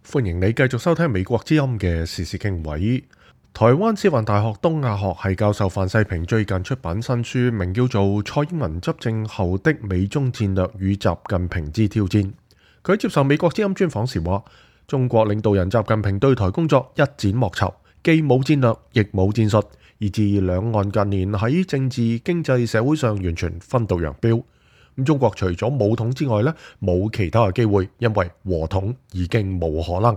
歡迎你繼續收聽美國之音嘅時事經緯。台灣師範大學東亞學系教授范世平最近出版新書，名叫做《蔡英文執政後的美中戰略與習近平之挑戰》。佢接受美國之音專訪時話，中國領導人習近平對台工作一展莫酬，既冇戰略亦冇戰術，以致兩岸近年喺政治、經濟、社會上完全分道揚鑣。中國除咗武統之外呢，冇其他嘅機會，因為和統已經冇可能。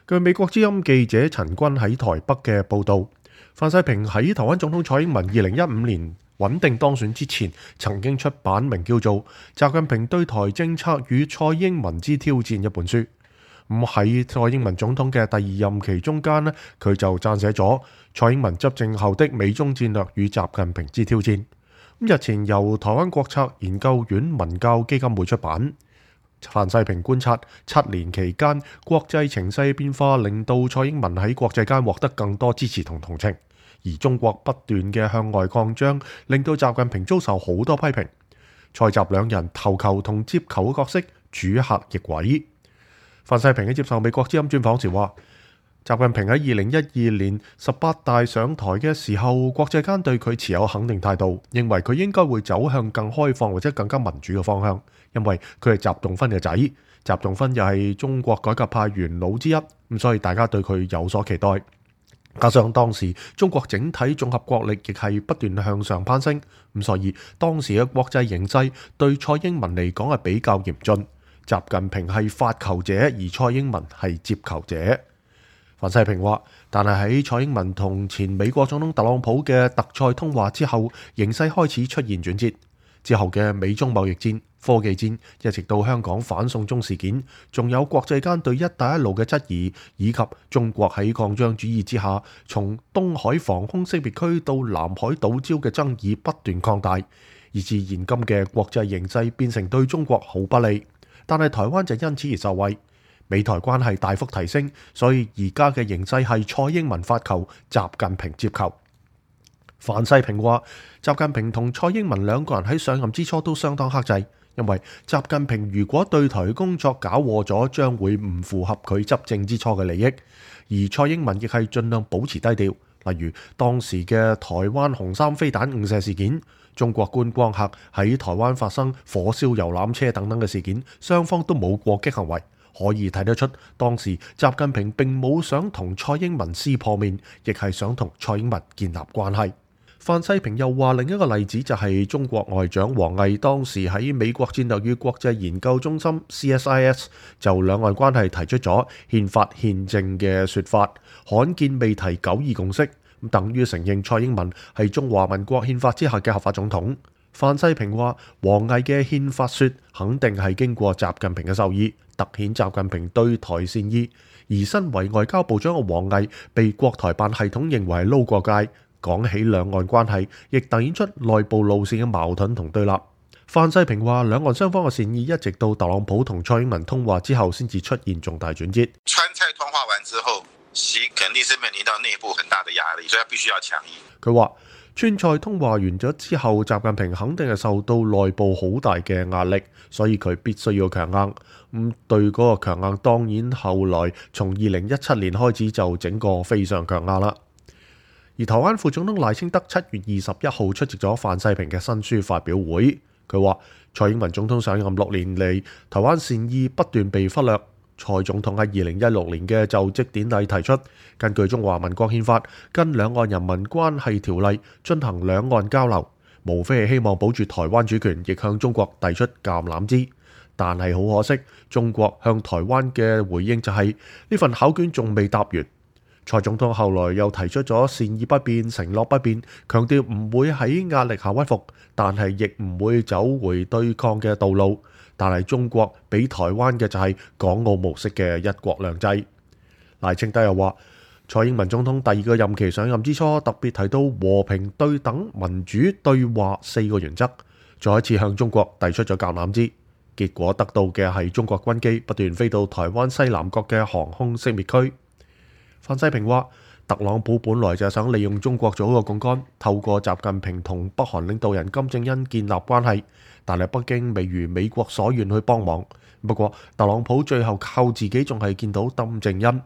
據美國之音記者陳君喺台北嘅報導，范世平喺台灣總統蔡英文2015年穩定當選之前，曾經出版名叫做《習近平對台政策與蔡英文之挑戰》一本書。喺蔡英文總統嘅第二任期中間呢，佢就撰寫咗蔡英文執政後的美中戰略與習近平之挑戰。日前由台灣國策研究院文教基金會出版。范世平觀察7年期間，國際情勢變化令到蔡英文喺國際間獲得更多支持同同情，而中國不斷嘅向外擴張，令到習近平遭受好多批評。蔡習兩人投球同接球嘅角色主客逆位。范世平喺接受美國之音專訪時話，習近平喺2012年18大上台嘅時候，國際間對佢持有肯定態度，認為佢應該會走向更開放或者更加民主嘅方向，因為佢係習仲勳嘅仔，習仲勳又係中國改革派元老之一，咁所以大家對佢有所期待。加上當時中國整體綜合國力亦係不斷向上攀升，咁所以當時嘅國際形勢對蔡英文嚟講係比較嚴峻。習近平係發球者，而蔡英文係接球者。范世平話，但係喺蔡英文同前美國總統特朗普嘅特賽通話之後，形勢開始出現轉折。之後嘅美中貿易戰、科技戰，一直到香港反送中事件，仲有國際間對一帶一路嘅質疑，以及中國喺擴張主義之下，從東海防空識別區到南海島礁嘅爭議不斷擴大，以至現今嘅國際形勢變成對中國好不利。但係台灣就因此而受惠。美台關係大幅提升，所以而家嘅形勢係蔡英文發球，習近平接球。范世平話，習近平同蔡英文兩個人喺上任之初都相當克制，因為習近平如果對台工作搞禍咗，將會唔符合佢執政之初嘅利益。而蔡英文亦係盡量保持低調，例如當時嘅台灣紅三飛彈誤射事件，中國觀光客喺台灣發生火燒遊覽車等等嘅事件，雙方都冇過激行為。可以睇得出，當時習近平並冇想同蔡英文撕破面，亦係想同蔡英文建立關係。范世平又話，另一個例子就係中國外長王毅當時喺美國戰略與國際研究中心 CSIS 就兩岸關係提出咗憲法憲政嘅說法，罕見未提9·2共識，等於承認蔡英文係中華民國憲法之下嘅合法總統。范世平話，王毅嘅憲法說肯定係經過習近平嘅授意，凸顯習近平對台善意。而身為外交部長嘅王毅被國台辦系統認為係撈過界，講起兩岸關係亦凸顯出內部路線嘅矛盾同對立。范世平話，兩岸雙方嘅善意一直到特朗普同蔡英文通話之後先至出現重大轉折。川蔡通話完之後，習肯定是面臨到內部很大的壓力，所以他必須要強硬。佢話，川蔡通話完咗之後，習近平肯定係受到內部好大嘅壓力，所以佢必須要強硬。對嗰個強硬，當然後來從2017年開始就整個非常強硬啦。而台灣副總統賴清德7月21號出席咗范世平嘅新書發表會，佢話蔡英文總統上任6年嚟，台灣善意不斷被忽略。蔡總統喺2016年嘅就職典禮提出，根據中華民國憲法跟兩岸人民關係條例進行兩岸交流，無非係希望保住台灣主權，亦向中國遞出橄欖枝。但係好可惜，中國向台灣嘅回應就係呢份考卷仲未答完。蔡總統後來又提出咗善意不變、承諾不變，強調唔會喺壓力下屈服，但係亦唔會走回對抗嘅道路。但係中國俾台灣嘅就係港澳模式嘅一國兩制。賴清德又話，蔡英文總統第2個任期上任之初，特別提到和平、對等、民主、對話4個原則，再一次向中國遞出咗橄欖枝。結果得到嘅係中國軍機不斷飛到台灣西南角嘅航空識別區。范世平話，特朗普本來就係想利用中國做一個槓桿，透過習近平同北韓領導人金正恩建立關係，但係北京未如美國所願去幫忙，不過特朗普最後靠自己仲係見到金正恩，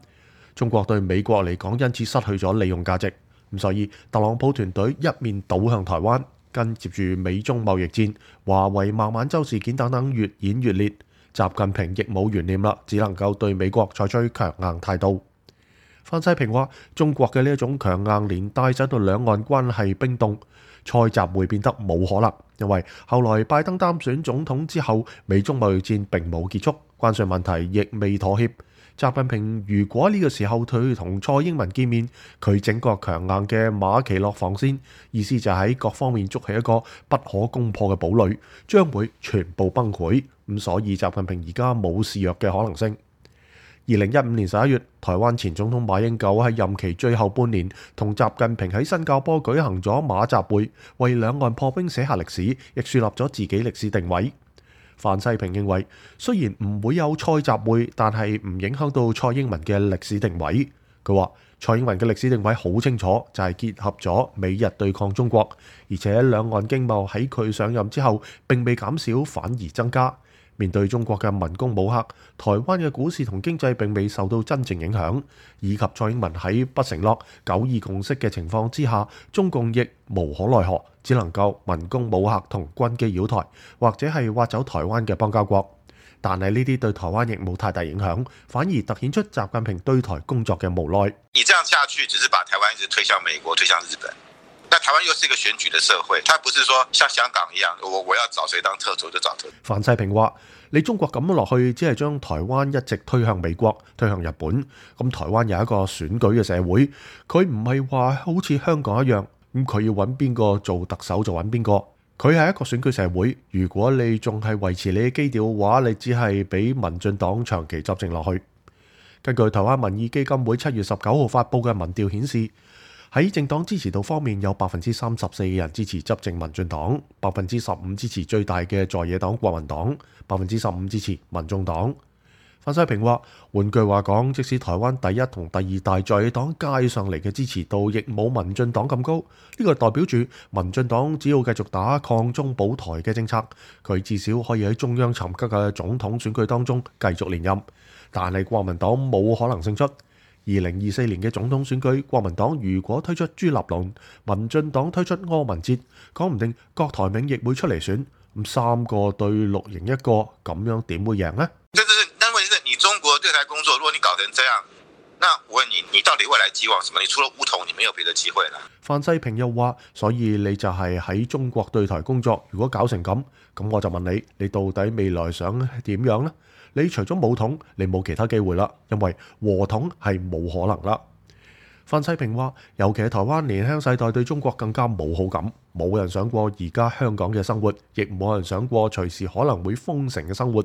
中國對美國嚟講因此失去咗利用價值，咁所以特朗普團隊一面倒向台灣，跟接住美中貿易戰、華為孟晚舟事件等等越演越烈，習近平亦冇懸念啦，只能夠對美國採取強硬態度。范世平話：中國嘅呢一種強硬連帶使到兩岸關係冰凍，塞習會變得冇可能，因為後來拜登擔選總統之後，美中貿易戰並冇結束，關稅問題亦未妥協。習近平如果呢個時候佢同蔡英文見面，佢整個強硬嘅馬其諾防線，意思就係喺各方面築起一個不可攻破嘅堡壘，將會全部崩潰。咁所以習近平而家冇示弱嘅可能性。2015年11月，台灣前總統馬英九喺任期最後半年，同習近平喺新加坡舉行咗馬習會，為兩岸破冰寫下歷史，亦樹立咗自己歷史定位。范世平認為，雖然唔會有蔡習會，但係唔影響到蔡英文嘅歷史定位。佢話蔡英文嘅歷史定位好清楚，就係結合咗美日對抗中國，而且兩岸經貿喺佢上任之後並未減少，反而增加。面對中國嘅文攻武嚇，台灣嘅股市同經濟並未受到真正影響，以及蔡英文喺不承諾九二共識嘅情況之下，中共亦無可奈何，只能夠文攻武嚇同軍機擾台，或者係挖走台灣嘅邦交國。但係呢啲對台灣亦冇太大影響，反而突顯出習近平對台工作嘅無奈。你這樣下去，只是把台灣一直推向美國，推向日本。但台灣又是一個選舉的社會，它不是說像香港一樣，我要找誰當特首就找特首。范世平話：你中國咁樣落去，只係將台灣一直推向美國，推向日本。咁台灣有一個選舉嘅社會，佢唔係話好似香港一樣，咁佢要揾邊個做特首就揾邊個。佢係一個選舉社會，如果你仲係維持你嘅基調嘅話，你只係俾民進黨長期執政落去。根據台灣民意基金會7月19號發布嘅民調顯示，喺政黨支持度方面，有34%嘅人支持執政民進黨，15%支持最大嘅在野黨國民黨，15%支持民眾黨。范世平話：換句話講，即使台灣第一同第二大在野黨加上嚟嘅支持度，亦冇民進黨咁高。呢個代表住民進黨只要繼續打抗中保台嘅政策，佢至少可以喺中央尋求嘅總統選舉當中繼續連任。但係國民黨冇可能勝出。2024年嘅總統選舉，國民黨如果推出朱立倫，民進黨推出柯文哲，講唔定郭台銘亦會出嚟選。咁3個對綠營1個，咁樣點會贏呢？但問題是你中國對台工作，如果你搞成這樣，那我問你，你到底未來寄望什麼？你除了武統，你沒有別的機會啦。范世平又話：所以你就係喺中國對台工作，如果搞成咁，咁我就問你，你到底未來想點樣呢？你除咗武統，你冇其他機會啦，因為和統係冇可能啦。范世平話：尤其係台灣年輕世代對中國更加冇好感，冇人想過而家香港嘅生活，亦冇人想過隨時可能會封城嘅生活。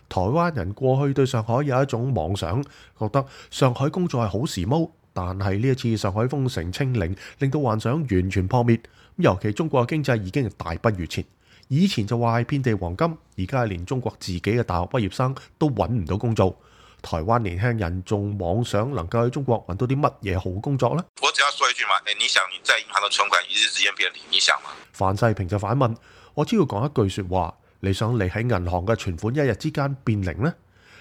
台灣人過去對上海有一種妄想，覺得上海工作係好時髦，但係呢一次上海封城清零，令到幻想完全破滅。尤其中國嘅經濟已經大不如前。以前就話係遍地黃金，而家係連中國自己嘅大學畢業生都揾唔到工作。台灣年輕人仲妄想能夠喺中國揾到啲乜嘢好工作呢？我只要說一句嘛，你想你在銀行嘅存款一日之間變零，你想嗎？范世平就反問：我只要講一句説話，你想你喺銀行嘅存款一日之間變零呢？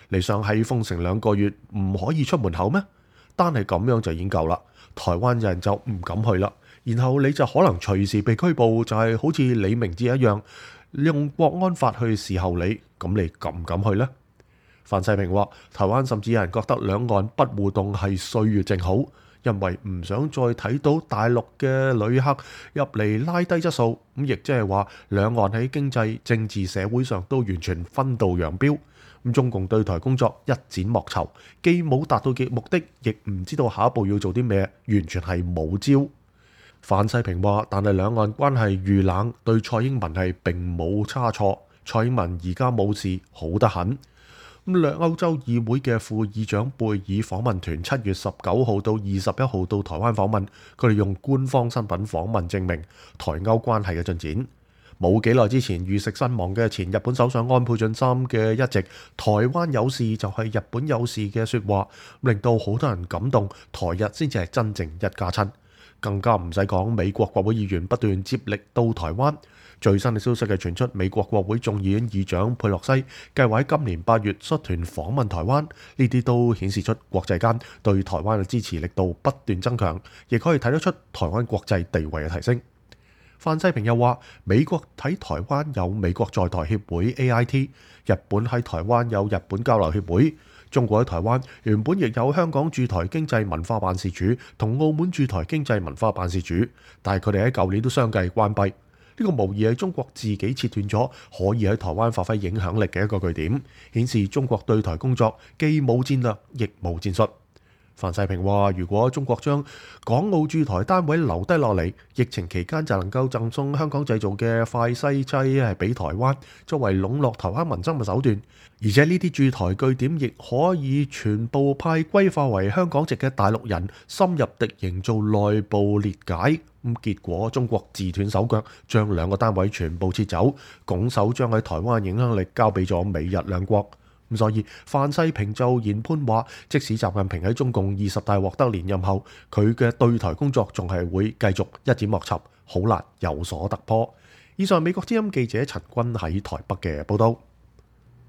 你想喺封城2個月唔可以出門口咩？單係咁樣就已經夠啦。台灣人就唔敢去啦。然後你就可能隨時被拘捕，就係好似李明哲一樣，用國安法去伺候你，咁你敢唔敢去呢？范世平話：台灣甚至有人覺得兩岸不互動係歲月靜好，因為唔想再睇到大陸嘅旅客入嚟拉低質素，咁亦即係話兩岸喺經濟、政治、社會上都完全分道揚鑣。咁中共對台工作一展莫籌，既冇達到嘅目的，亦唔知道下一步要做啲咩，完全係冇招。范世平話：但係兩岸關係遇冷，對蔡英文係並冇差錯。蔡英文而家冇事，好得很。咁歐洲議會嘅副議長貝爾訪問團7月19號到21號到台灣訪問，佢哋用官方身份訪問證明台歐關係嘅進展。冇幾耐之前遇刺身亡嘅前日本首相安倍晉三嘅一直台灣有事就係日本有事嘅説話，令到好多人感動，台日先至係真正一家親。更加唔使講美國國會議員不斷接力到台灣。最新嘅消息係傳出，美國國會眾議院議長佩洛西計劃喺今年8月率團訪問台灣，呢啲都顯示出國際間對台灣嘅支持力度不斷增強，亦可以睇得出台灣國際地位嘅提升。范世平又話，美國喺台灣有美國在台協會 AIT， 日本喺台灣有日本交流協會，中國喺台灣原本亦有香港駐台經濟文化辦事處同澳門駐台經濟文化辦事處，但係佢哋喺舊年都相繼關閉。呢個無疑係中國自己切斷咗可以喺台灣發揮影響力嘅一個據點，顯示中國對台工作既冇戰略亦冇戰術。范世平話，如果中國將港澳駐台單位留低落嚟，疫情期間就能夠贈送香港製造嘅快篩劑係俾台灣，作為籠絡台灣民生嘅手段。而且呢啲駐台據點亦可以全部派歸化為香港籍嘅大陸人，深入敵營做內部裂解。結果中國自斷手腳，將2個單位全部撤走，拱手將喺台灣影響力交俾咗美日兩國。所以范世平就研判話，即使習近平喺中共20大獲得連任後，佢嘅對台工作仲係會繼續一展莫尋，好難有所突破。以上美國之音記者陳君喺台北嘅報道。